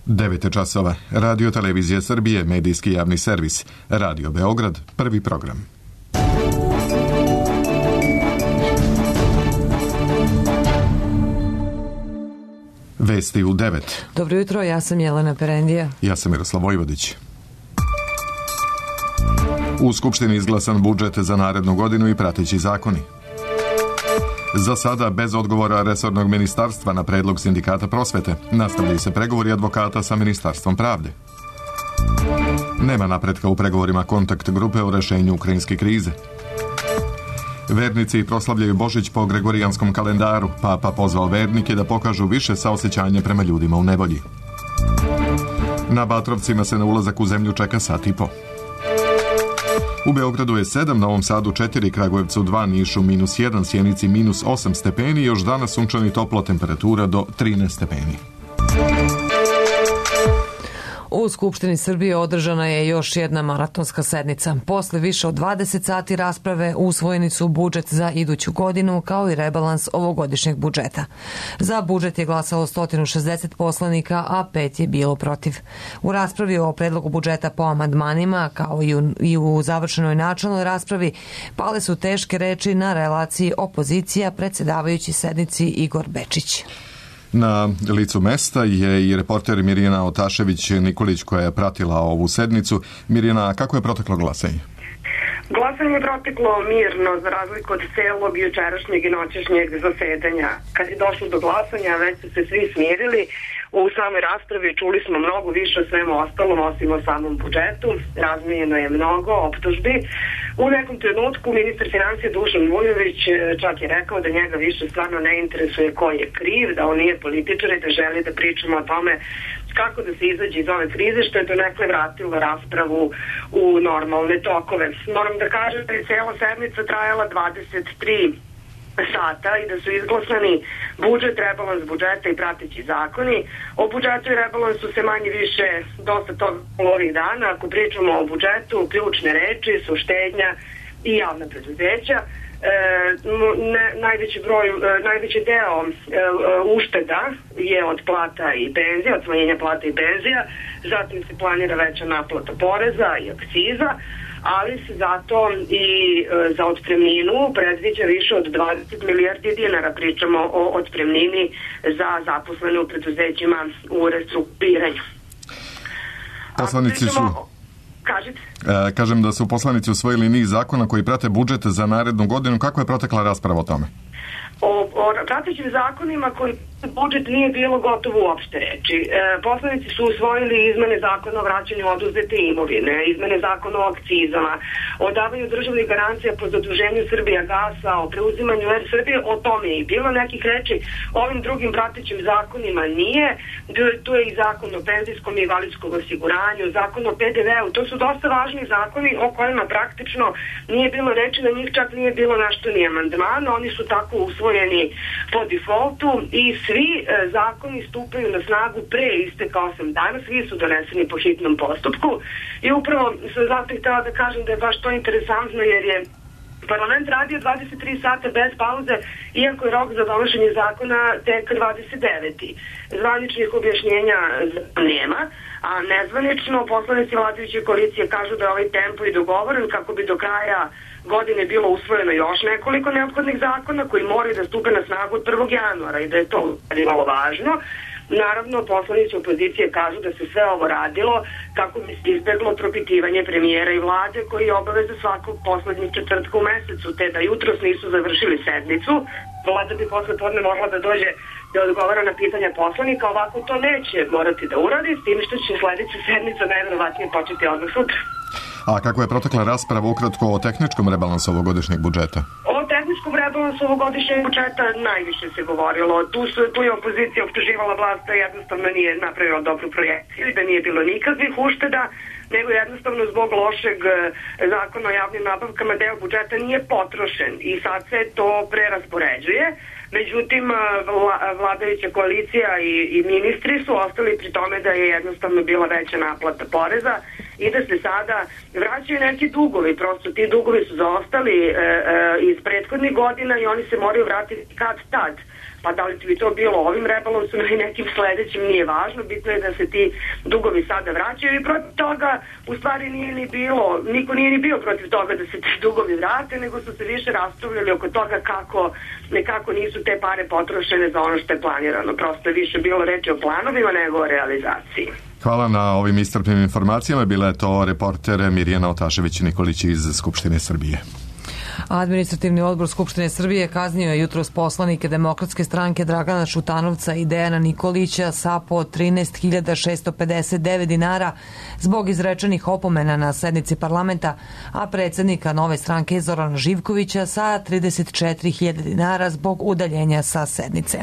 9 časova. Radio Televizija Srbije, medijski javni servis. Radio Beograd, prvi program. Vesti u 9. Dobro jutro, ja sam Jelena Perendija. Ja sam Miroslav Vojvodić. U Skupštini izglasan budžet za narednu godinu i prateći zakoni. Za sada bez odgovora resornog ministarstva na predlog sindikata prosvete. Nastavljaju se pregovori advokata sa Ministarstvom pravde. Nema napretka u pregovorima kontakt grupe o rešenju ukrajinske krize. Vernici proslavljaju Božić po gregorijanskom kalendaru. Papa pozvao vernike da pokažu više saosećanja prema ljudima u nevolji. Na Batrovcima se na ulazak u zemlju čeka sat i po. U Beogradu je 7, Novom Sadu 4, Kragujevcu 2, Nišu -1, Sjenici -8 stepeni, još danas sunčani toplo, temperatura do 13 stepeni. U Skupštini Srbije održana je još jedna maratonska sednica. Posle više od 20 sati rasprave usvojeni su budžet za iduću godinu kao i rebalans ovogodišnjeg budžeta. Za budžet je glasalo 160 poslanika, a 5 je bilo protiv. U raspravi o predlogu budžeta po amandmanima, kao i u završenoj načelnoj raspravi, pale su teške reči na relaciji opozicija, predsedavajući sednici Igor Bečić. Na licu mesta je i reporter Mirjana Otašević-Nikolić koja je pratila ovu sednicu. Mirjana, kako je proteklo glasanje? Glasanje je proteklo mirno za razliku od celog jučerašnjeg i noćešnjeg zasedanja. Kad je došlo do glasanja, već su se svi smirili. U samoj raspravi čuli smo mnogo više o svemu ostalom, osim o samom budžetu. Razmijenjeno je mnogo optužbi. U nekom trenutku ministar financija Dušan Vujović čak je rekao da njega više stvarno ne interesuje ko je kriv, da on nije političar i da želi da pričamo o tome kako da se izađe iz ove krize, što je donekle vratilo raspravu u normalne tokove. Moram da kažem da je cela sednica trajala 23 sata i da su izglasani budžet, rebalans budžeta i prateći zakoni. O budžetu i rebalansu se manje više dosta toga ovih dana. Ako pričamo o budžetu, ključne reči su štednja i javna preduzeća. Najveći deo ušteda je od plata i penzija, od smanjenja plata i penzija, zatim se planira veća naplata poreza i akciza, ali se zato i za otpremninu predviđa više od 20 milijardi dinara. Pričamo o otpremnini za zaposlene u preduzećima u restrukturiranju. Poslanici su... Kažem da su poslanici usvojili niz zakona koji prate budžet za narednu godinu. Kako je protekla rasprava o tome? O pratećim zakonima koji budžet nije bilo gotovo uopšte reći. Poslanici su usvojili izmene zakona o vraćanju oduzete imovine, izmene zakona o akcizama, o davanju državnih garancija po zaduženju Srbija gasa, o preuzimanju Er Srbije, o tome je i bilo nekih reči. Ovim drugim pratećim zakonima nije. Tu je i zakon o penzijskom i invalidskom osiguranju, zakon o PDV-u. To su dosta važni zakoni o kojima praktično nije bilo reči, na njih čak nije bilo nešto ni amandmana. Oni su tako usvojeni po defaultu i svi zakoni stupaju na snagu pre isteka 8 dana, svi su doneseni po hitnom postupku i upravo sam zato htjela da kažem da je baš to interesantno jer je parlament radio 23 sata bez pauze, iako je rok za donošenje zakona tek 29. Zvaničnih objašnjenja nema, a nezvanično poslanici vladajuće koalicije kažu da je ovaj tempo i dogovoren kako bi do kraja godine bilo usvojeno još nekoliko neophodnih zakona koji moraju da stupe na snagu od 1. januara i da je to malo važno. Naravno, poslanici opozicije kažu da se sve ovo radilo kako bi se izbeglo propitivanje premijera i vlade koji je obaveza svakog poslednjeg četvrtka u mesecu, te da jutros nisu završili sednicu. Vlada bi posle podne mogla da dođe da odgovara na pitanja poslanika, ovako to neće morati da uradi, s tim što će sledeća sednica najverovatnije početi odmah sutra. A kako je protekla rasprava ukratko o tehničkom rebalansu ovogodišnjeg budžeta? O tehničkom rebalansu ovogodišnjeg budžeta najviše se govorilo. Tu je opozicija optuživala vlast da jednostavno nije napravila dobru projekciju i da nije bilo nikakvih ušteda, nego jednostavno zbog lošeg zakona o javnim nabavkama deo budžeta nije potrošen i sad se to preraspoređuje. Međutim, vladajuća koalicija i ministri su ostali pri tome da je jednostavno bila veća naplata poreza i da se sada vraćaju neki dugovi, prosto ti dugovi su zaostali iz prethodnih godina i oni se moraju vratiti kad tad. Pa da li bi to bilo ovim rebalansom ili nekim sledećim, nije važno, bitno je da se ti dugovi sada vraćaju i protiv toga u stvari nije ni bilo, niko nije ni bio protiv toga da se ti dugovi vrate, nego su se više raspravljali oko toga kako nekako nisu te pare potrošene za ono što je planirano. Prosto je više bilo reči o planovima nego o realizaciji. Hvala na ovim iscrpnim informacijama. Bila je to reporter Mirjana Otašević-Nikolić iz Skupštine Srbije. Administrativni odbor Skupštine Srbije kaznio je jutros poslanike Demokratske stranke Dragana Šutanovca i Dejana Nikolića sa po 13.659 dinara zbog izrečenih opomena na sednici parlamenta, a predsjednika nove stranke Zorana Živkovića sa 34.000 dinara zbog udaljenja sa sednice.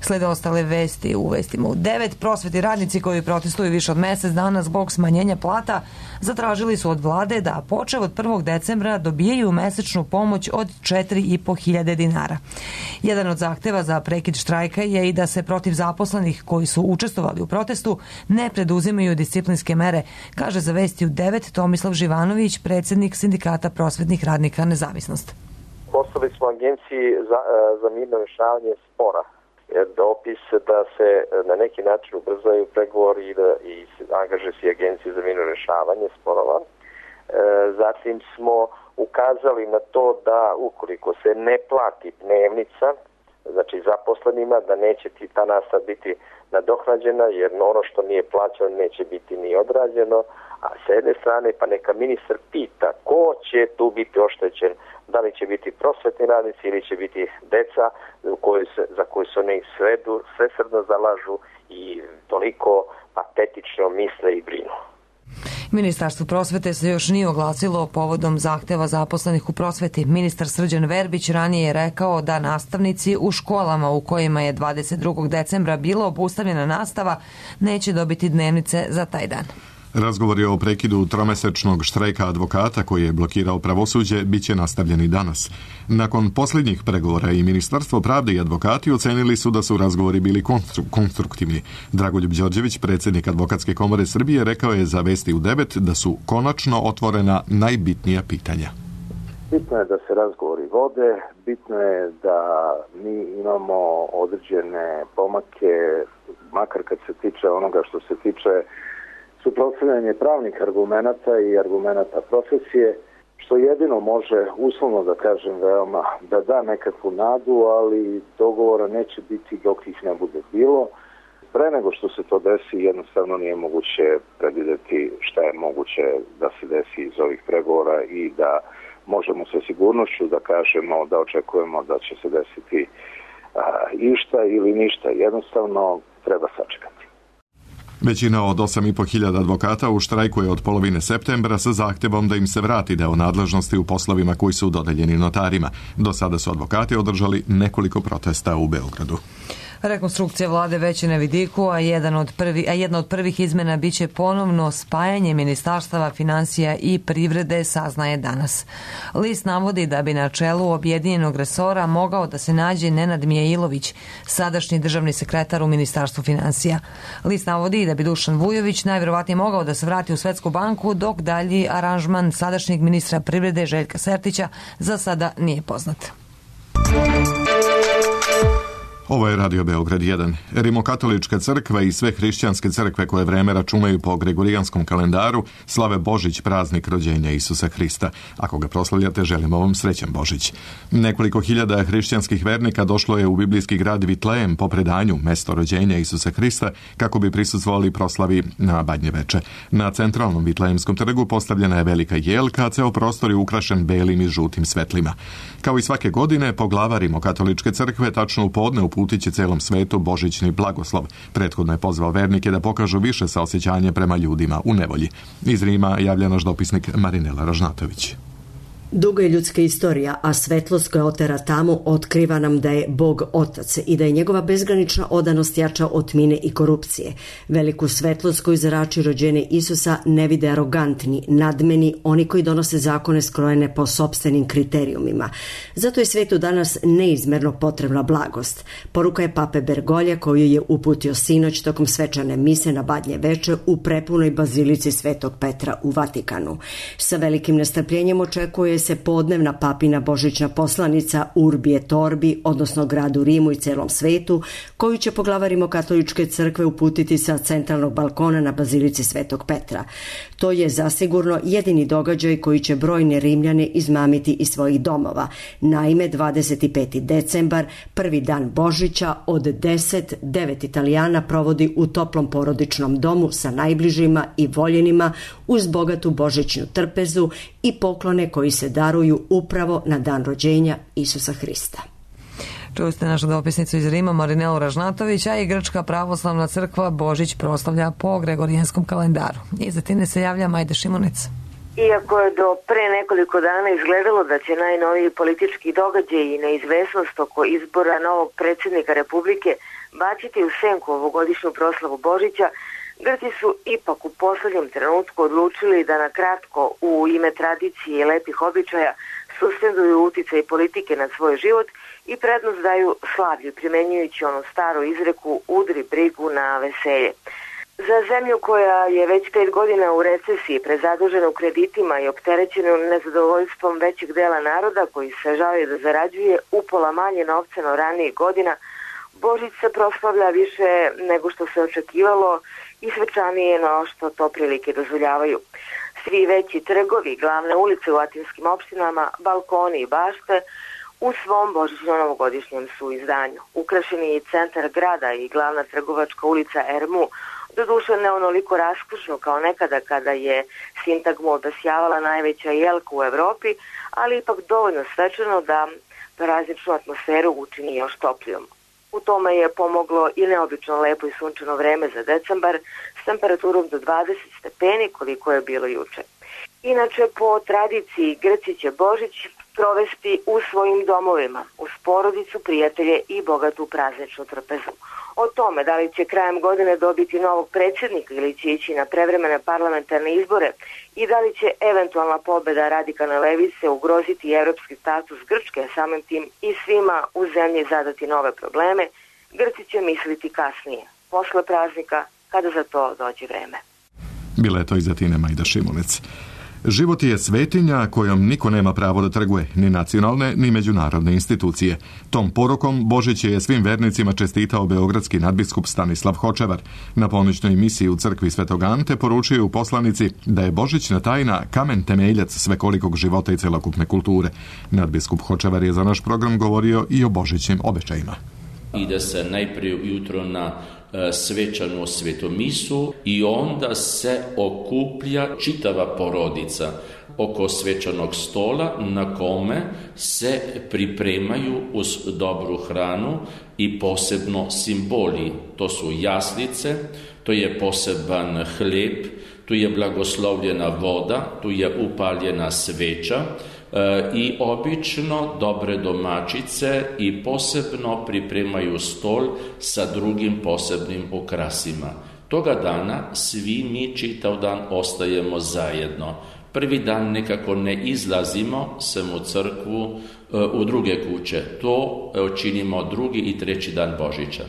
Slede ostale vesti u vestima u 9. Prosvetni radnici koji protestuju više od mesec dana zbog smanjenja plata zatražili su od vlade da počev od 1. decembra dobijaju mesečnu pomoć od 4.500 dinara. Jedan od zahteva za prekid štrajka je i da se protiv zaposlenih koji su učestvovali u protestu ne preduzimaju disciplinske mere, kaže za vesti u 9 Tomislav Živanović, predsjednik Sindikata prosvetnih radnika Nezavisnost. Poslali smo agenciji za mirno rješavanje spora dopis da se na neki način ubrzaju pregovori i angažuje se agencija za mirno rješavanje sporova. Zatim smo ukazali na to da ukoliko se ne plati dnevnica, znači zaposlenima, da neće ta nastava biti nadoknađena, jer ono što nije plaćano neće biti ni odrađeno, a s jedne strane pa neka ministar pita ko će tu biti oštećen, da li će biti prosvetni radnici ili će biti deca za koju se oni svesrdno zalažu i toliko patetično misle i brinu. Ministarstvo prosvete se još nije oglasilo povodom zahteva zaposlenih u prosveti. Ministar Srđan Verbić ranije je rekao da nastavnici u školama u kojima je 22. decembra bila obustavljena nastava neće dobiti dnevnice za taj dan. Razgovori o prekidu tromesečnog štrajka advokata koji je blokirao pravosuđe biće nastavljeni danas. Nakon posljednjih pregovora i Ministarstvo pravde i advokati ocenili su da su razgovori bili konstruktivni. Dragoljub Đorđević, predsjednik Advokatske komore Srbije, rekao je za vesti u 9 da su konačno otvorena najbitnija pitanja. Bitno je da se razgovori vode, bitno je da mi imamo određene pomake, makar kad se tiče onoga što se tiče suprotstavljanje pravnih argumenata i argumenata profesije, što jedino može, uslovno da kažem veoma, da da nekakvu nadu, ali dogovora neće biti dok ih ne bude bilo. Pre nego što se to desi, jednostavno nije moguće predvideti šta je moguće da se desi iz ovih pregovora i da možemo sa sigurnošću da kažemo, da očekujemo da će se desiti išta ili ništa. Jednostavno treba sačekati. Većina od 8.500 advokata u štrajku je od polovine septembra sa zahtjevom da im se vrati deo nadležnosti u poslovima koji su dodeljeni notarima. Do sada su advokati održali nekoliko protesta u Beogradu. Rekonstrukcija vlade već je na vidiku, a jedna od prvih izmena biće ponovno spajanje ministarstava finansija i privrede, saznaje danas. List navodi da bi na čelu objedinjenog resora mogao da se nađe Nenad Mijailović, sadašnji državni sekretar u Ministarstvu finansija. List navodi da bi Dušan Vujović najvjerovatnije mogao da se vrati u Svetsku banku, dok dalji aranžman sadašnjeg ministra privrede Željka Sertića za sada nije poznat. Ovo je Radio Beograd 1. Rimokatolička crkva i sve hrišćanske crkve koje vreme računaju po gregorijanskom kalendaru slave Božić, praznik rođenja Isusa Hrista. Ako ga proslavljate, želimo vam srećan Božić. Nekoliko hiljada hrišćanskih vernika došlo je u biblijski grad Vitlejem po predanju, mesto rođenja Isusa Hrista, kako bi prisustvovali proslavi na Badnje veče. Na centralnom Vitlejemskom trgu postavljena je velika jelka, a ceo prostor je ukrašen belim i žutim svetlima. Kao i svake godine, poglavar Rimokatoličke crkve tačno u podne uputit će celom svetu božićni blagoslov. Prethodno je pozvao vernike da pokažu više saosećanje prema ljudima u nevolji. Iz Rima javlja naš dopisnik Marinela Ražnatović. Duga je ljudska istorija, a svetlost koja otera tamu otkriva nam da je Bog Otac i da je njegova bezgranična odanost jača od tmine i korupcije. Veliku svetlost koju zrači rođenje Isusa ne vide arogantni, nadmeni, oni koji donose zakone skrojene po sopstvenim kriterijumima. Zato je svetu danas neizmerno potrebna blagost. Poruka je pape Bergolja koju je uputio sinoć tokom svečane mise na Badnje veče u prepunoj bazilici Svetog Petra u Vatikanu. Sa velikim nestrpljenjem očekuje se podnevna papina božićna poslanica Urbi et Orbi, odnosno gradu Rimu i celom svetu, koju će poglavar Rimokatoličke crkve uputiti sa centralnog balkona na bazilici Svetog Petra. To je zasigurno jedini događaj koji će brojne Rimljane izmamiti iz svojih domova. Naime, 25. decembar, prvi dan Božića, od 9 Italijana provodi u toplom porodičnom domu sa najbližima i voljenima uz bogatu božićnu trpezu i poklone koji se daruju upravo na dan rođenja Isusa Hrista. Čuli ste našu dopisnicu iz Rima Marinelu Ražnatović, a i Grčka pravoslavna crkva Božić proslavlja po Gregorijanskom kalendaru. Iza time se javlja Majda Šimunic. Iako je do pre nekoliko dana izgledalo da će najnoviji politički događaj i neizvesnost oko izbora novog predsjednika Republike baciti u senku ovogodišnju proslavu Božića, Grci su ipak u poslednjem trenutku odlučili da na kratko u ime tradicije i lepih običaja suspenduju uticaj politike na svoj život i prednost daju slavlju, primenjujući onu staru izreku udri brigu na veselje. Za zemlju koja je već 5 godina u recesiji, prezadužena u kreditima i opterećena nezadovoljstvom većeg dela naroda koji se žali da zarađuje upola manje novca no ranijih godina, Božić se proslavlja više nego što se očekivalo i svečanije no što to prilike dozvoljavaju. Svi veći trgovi, glavne ulice u atinskim opštinama, balkoni i bašte u svom božićno-novogodišnjem su izdanju. Ukrašeni i centar grada i glavna trgovačka ulica Ermu, doduše ne onoliko raskošno kao nekada kada je sintagmu obasjavala najveća jelka u Evropi, ali ipak dovoljno svečano da prazničnu atmosferu učini još toplijom. U tome je pomoglo i neobično lepo i sunčano vreme za decembar s temperaturom do 20 stepeni koliko je bilo juče. Inače, po tradiciji Grci će Božić provesti u svojim domovima, uz porodicu, prijatelje i bogatu prazničnu trpezu. O tome da li će krajem godine dobiti novog predsjednika ili će ići na prevremene parlamentarne izbore i da li će eventualna pobeda radikalne levice ugroziti evropski status Grčke, samim tim i svima u zemlji zadati nove probleme, Grci će misliti kasnije, posle praznika, kada za to dođe vreme. Bila je to iz Atine Majda Šimunec. Život je svetinja kojom niko nema pravo da trguje, ni nacionalne, ni međunarodne institucije. Tom porukom Božić je svim vernicima čestitao beogradski nadbiskup Stanislav Hočevar. Na ponoćnoj misiji u crkvi Svetog Ante poručio u poslanici da je božićna tajna kamen temeljac svekolikog života i celokupne kulture. Nadbiskup Hočevar je za naš program govorio i o božićnim običajima. Ide se najprije ujutro na svečanu svetomisu i onda se okuplja čitava porodica oko svečanog stola na kome se pripremaju uz dobru hranu i posebno simboli. To su jaslice, to je poseban hljeb, tu je blagoslovljena voda, tu je upaljena sveča i obično dobre domaćice i posebno pripremaju stol sa drugim posebnim ukrasima. Toga dana svi mi čitav dan ostajemo zajedno. Prvi dan nekako ne izlazimo sem u crkvu, u druge kuće. To činimo drugi i treći dan Božića.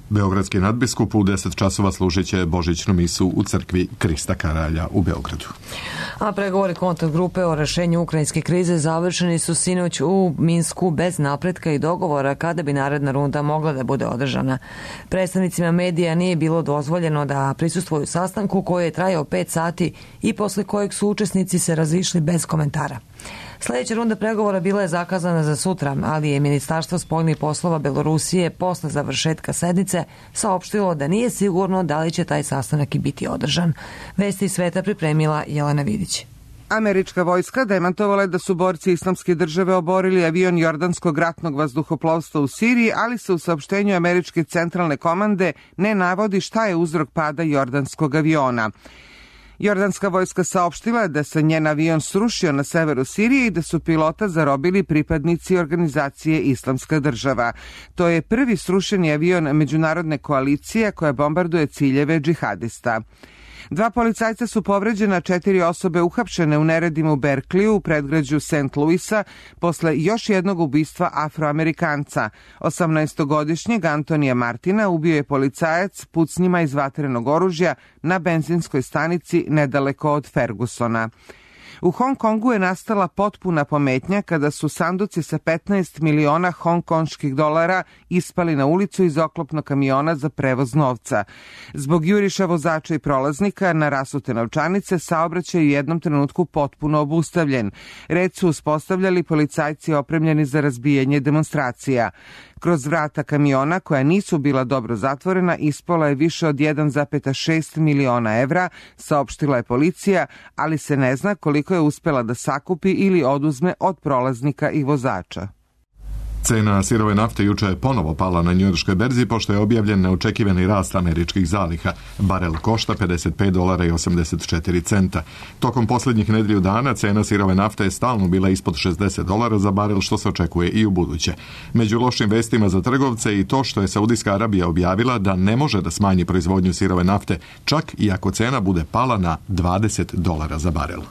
Beogradski nadbiskup u 10 časova služit će božićnu misu u crkvi Krista Karalja u Beogradu. A pregovori kontakt grupe o rešenju ukrajinske krize završeni su sinoć u Minsku bez napretka i dogovora kada bi naredna runda mogla da bude održana. Predstavnicima medija nije bilo dozvoljeno da prisustvuju sastanku koji je trajao 5 sati i posle kojeg su učesnici se razišli bez komentara. Sljedeća runda pregovora bila je zakazana za sutra, ali je Ministarstvo spoljnih poslova Belorusije posle završetka sednice saopštilo da nije sigurno da li će taj sastanak i biti održan. Vesti iz sveta pripremila Jelena Vidić. Američka vojska demantovala je da su borci Islamske države oborili avion Jordanskog ratnog vazduhoplovstva u Siriji, ali se u saopštenju Američke centralne komande ne navodi šta je uzrok pada jordanskog aviona. Jordanska vojska saopštila da se njen avion srušio na severu Sirije i da su pilota zarobili pripadnici organizacije Islamska država. To je prvi srušeni avion međunarodne koalicije koja bombarduje ciljeve džihadista. 2 policajca su povređena, 4 osobe uhapšene u neredima u Berkliju u predgrađu St. Louisa posle još jednog ubistva Afroamerikanca. 18-godišnjeg Antonija Martina ubio je policajac pucnjima iz vatrenog oružja na benzinskoj stanici nedaleko od Fergusona. U Hong Kongu je nastala potpuna pometnja kada su sanduci sa 15 miliona hongkonških dolara ispali na ulicu iz oklopnog kamiona za prevoz novca. Zbog juriša vozača i prolaznika na rasute novčanice saobraćaj je u jednom trenutku potpuno obustavljen. Red su uspostavljali policajci opremljeni za razbijanje demonstracija. Kroz vrata kamiona, koja nisu bila dobro zatvorena, ispalo je više od 1,6 miliona evra, saopštila je policija, ali se ne zna koliko je uspela da sakupi ili oduzme od prolaznika i vozača. Cena sirove nafte juče je ponovo pala na njujorškoj berzi pošto je objavljen neočekivani rast američkih zaliha. Barel košta $55,84. Tokom posljednjih nedelju dana cena sirove nafte je stalno bila ispod $60 za barel, što se očekuje i u buduće. Među lošim vestima za trgovce i to što je Saudijska Arabija objavila da ne može da smanji proizvodnju sirove nafte, čak i ako cena bude pala na $20 za barel.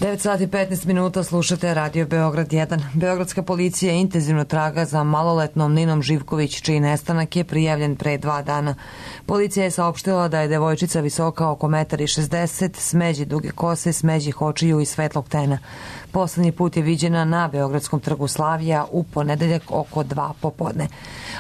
9 sati 15 minuta, slušate Radio Beograd 1. Beogradska policija intenzivno traga za maloletnom Ninom Živković, čiji nestanak je prijavljen pre 2 dana. Policija je saopštila da je devojčica visoka oko 1,60 m, smeđi duge kose, smeđih očiju i svetlog tena. Poslednji put je viđena na Beogradskom trgu Slavija u ponedeljak oko 2 popodne.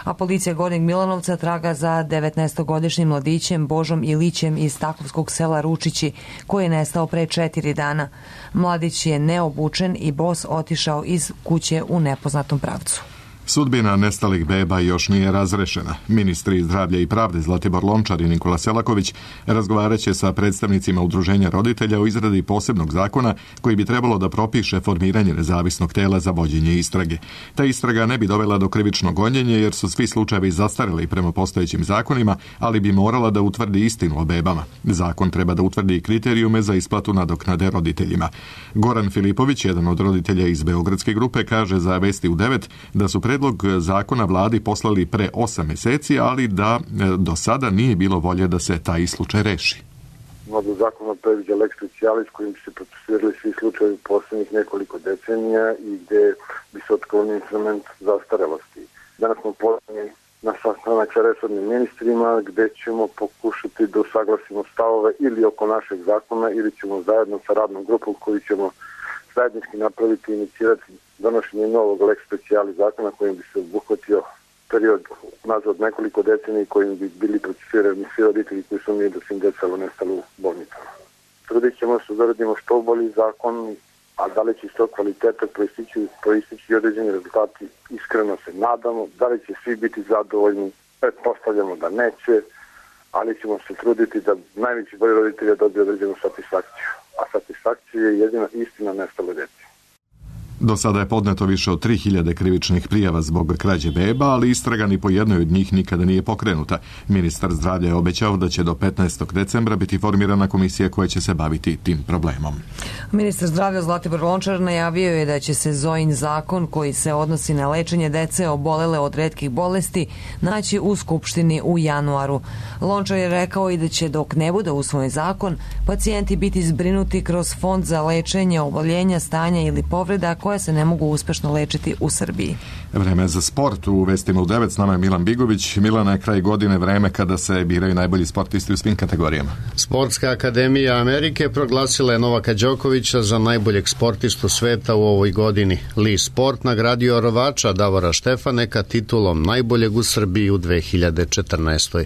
A policija Gornjeg Milanovca traga za 19-godišnjim mladićem Božom Ilićem iz takovskog sela Ručići, koji je nestao pre 4 dana. Mladić je neobučen i bos otišao iz kuće u nepoznatom pravcu. Sudbina nestalih beba još nije razrešena. Ministri zdravlja i pravde Zlatibor Lončar i Nikola Selaković razgovaraće sa predstavnicima udruženja roditelja o izradi posebnog zakona koji bi trebalo da propiše formiranje nezavisnog tela za vođenje istrage. Ta istraga ne bi dovela do krivičnog gonjenja jer su svi slučajevi zastareli prema postojećim zakonima, ali bi morala da utvrdi istinu o bebama. Zakon treba da utvrdi kriterijume za isplatu nadoknade roditeljima. Goran Filipović, jedan od roditelja iz Beogradske grupe, kaže za Vesti u 9 da su predlog zakona vladi poslali pre 8 meseci, ali da do sada nije bilo volje da se taj slučaj reši. Novi zakon predviđa lex specialis kojim bi se procesirali svi slučajevi poslednjih nekoliko decenija i gde bi se otklonio instrument zastarelosti. Danas smo pozvani na sastanak sa resornim ministrima gde ćemo pokušati da usaglasimo stavove ili oko našeg zakona ili ćemo zajedno sa radnom grupom koju ćemo zajednički napraviti i inicirati donošenje novog lex specialis zakona kojim bi se obuhvatio period nazad nekoliko decenija kojim bi bili procesirani svi roditelji koji su mi do svim decalo nestali u bolnicama. Trudit ćemo se da radimo što bolji zakon, a da li će iz tog kvaliteta proistići određeni rezultati, iskreno se nadamo. Da li će svi biti zadovoljni, pretpostavljamo da neće, ali ćemo se truditi da najveći broj roditelja dobije određenu satisfakciju. A satisfakcija je jedina istina nestale dece. Do sada je podneto više od 3000 krivičnih prijava zbog krađe beba, ali istraga ni po jednoj od njih nikada nije pokrenuta. Ministar zdravlja je obećao da će do 15. decembra biti formirana komisija koja će se baviti tim problemom. Ministar zdravlja Zlatibor Lončar najavio je da će se Zojin zakon koji se odnosi na lečenje dece obolele od retkih bolesti naći u Skupštini u januaru. Lončar je rekao i da će dok ne bude usvojen zakon, pacijenti biti zbrinuti kroz fond za lečenje oboljenja, stanja ili povreda koje se ne mogu uspešno lečiti u Srbiji. Vreme za sport u Vestima u 9, s nama je Milan Bigović. Milana, je kraj godine vreme kada se biraju najbolji sportisti u svim kategorijama. Sportska akademija Amerike proglasila je Novaka Đokovića za najboljeg sportistu sveta u ovoj godini. Lee Sport nagradio rvača Davora Štefaneka titulom najboljeg u Srbiji u 2014.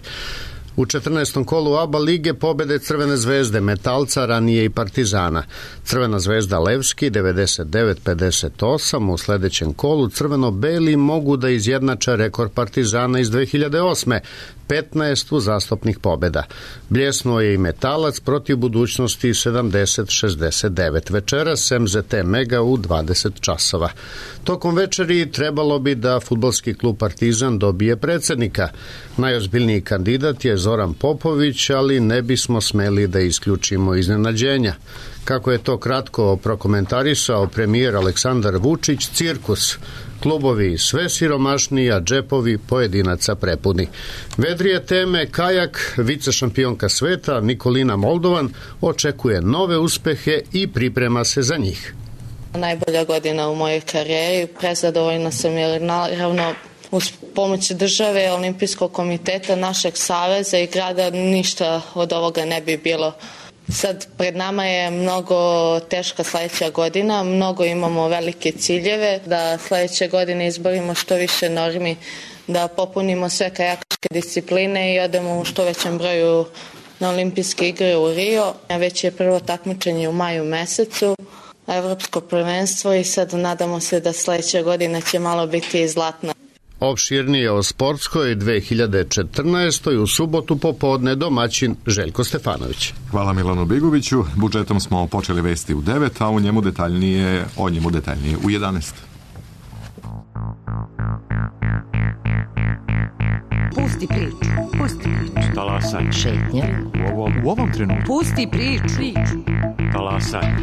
U 14. kolu ABA lige pobede Crvene zvezde, Metalca, ranije i Partizana. Crvena zvezda Levski 99-58, u sledećem kolu crveno-beli mogu da izjednače rekord Partizana iz 2008. 15 uzastopnih pobeda. Bljesnuo je i Metalac protiv Budućnosti 70-69. Večeras MZT Mega u 20 časova. Tokom večeri trebalo bi da fudbalski klub Partizan dobije predsednika. Najozbiljniji kandidat je Zoran Popović, ali ne bismo smeli da isključimo iznenađenja. Kako je to kratko prokomentarisao premijer Aleksandar Vučić, cirkus. Klubovi sve siromašniji, a džepovi pojedinaca prepuni. Vedrije teme, kajak, vicešampionka sveta Nikolina Moldovan očekuje nove uspehe i priprema se za njih. Najbolja godina u mojoj karijeri, prezadovoljna sam jer naravno uz pomoć države, Olimpijskog komiteta, našeg saveza i grada ništa od ovoga ne bi bilo. Sad pred nama je mnogo teška sledeća godina, mnogo imamo velike ciljeve, da sledeće godine izborimo što više normi, da popunimo sve kajakaške discipline i odemo u što većem broju na olimpijske igre u Rio. Već je prvo takmičenje u maju mesecu, evropsko prvenstvo i sad nadamo se da sledeća godina će malo biti i zlatna. Opširnije o sportskoj 2014. u subotu popodne domaćin Željko Stefanović. Hvala Milanu Bigoviću. Budžetom smo počeli vesti u 9, a o njemu detaljnije u 11. Pusti priču. Talasaj. Šetnja. U ovom trenutku. Pusti priču. Talasaj.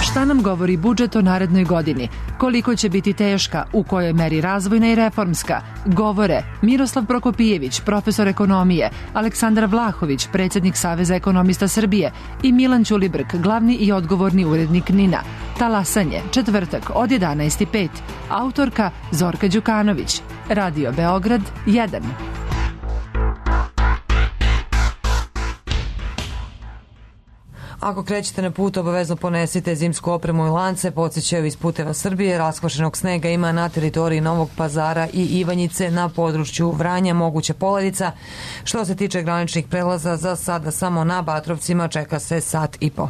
Šta nam govori budžet o narednoj godini? Koliko će biti teška? U kojoj meri razvojna i reformska? Govore Miroslav Prokopijević, profesor ekonomije, Aleksandar Vlahović, predsjednik Saveza ekonomista Srbije i Milan Ćulibrk, glavni i odgovorni urednik NIN-a. Talasanje, četvrtak od 11:05. Autorka Zorka Đukanović. Radio Beograd 1. Ako krećete na put, obavezno ponesite zimsku opremu i lance, podsjećaju iz Puteva Srbije. Raskvašenog snega ima na teritoriji Novog Pazara i Ivanjice, na području Vranja moguća poledica. Što se tiče graničnih prelaza, za sada samo na Batrovcima čeka se sat i po.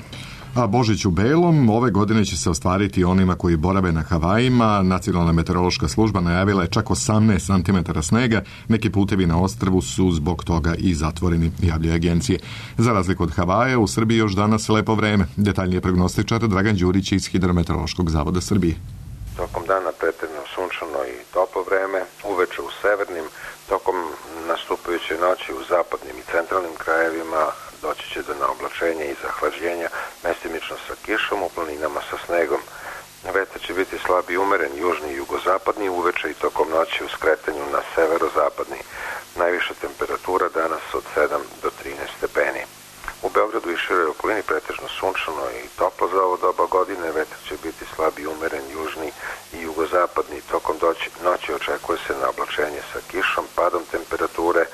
A Božić u belom ove godine će se ostvariti onima koji borave na Havajima. Nacionalna meteorološka služba najavila je čak 18 cm snega. Neki putevi na ostrvu su zbog toga i zatvoreni, javljaju agencije. Za razliku od Havaja, u Srbiji još danas lepo vreme. Detaljnije prognostičar Dragan Đurić iz Hidrometeorološkog zavoda Srbije. Tokom dana pretežno sunčano i toplo vreme, uveče u severnim, tokom nastupajuće noći u zapadnim i centralnim krajevima doći će do naoblačenja i zahlađenja, mestimično sa kišom, u planinama sa snegom. Vetar će biti slab i umeren, južni i jugozapadni, uveče i tokom noći u skretanju na severozapadni. Najviša temperatura danas od 7 do 13 stepeni. U Beogradu i široj okolini pretežno sunčano i toplo za ovo doba godine, vetar će biti slab i umeren, južni i jugozapadni. Tokom noći očekuje se naoblačenje sa kišom, padom temperature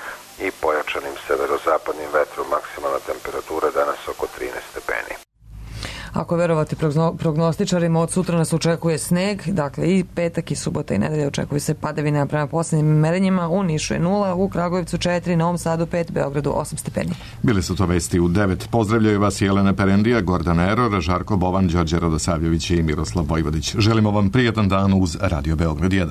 i pojačanim severozapadnim vetrom. Maksimalna temperatura danas oko 13 stepeni. Ako verovati prognostičarima, od sutra nas očekuje sneg, dakle i petak i subota i nedelja očekuju se padavine prema posljednjim merenjima. U Nišu je 0, u Kragujevcu 4, Novom Sadu 5, Beogradu 8 stepeni. Bili su to vesti u 9. Pozdravljaju vas Jelena Perendija, Gordana Eror, Žarko Bovan, Đorđe Radosavljević i Miroslav Vojvodić. Želimo vam prijatan dan uz Radio Beograd 1.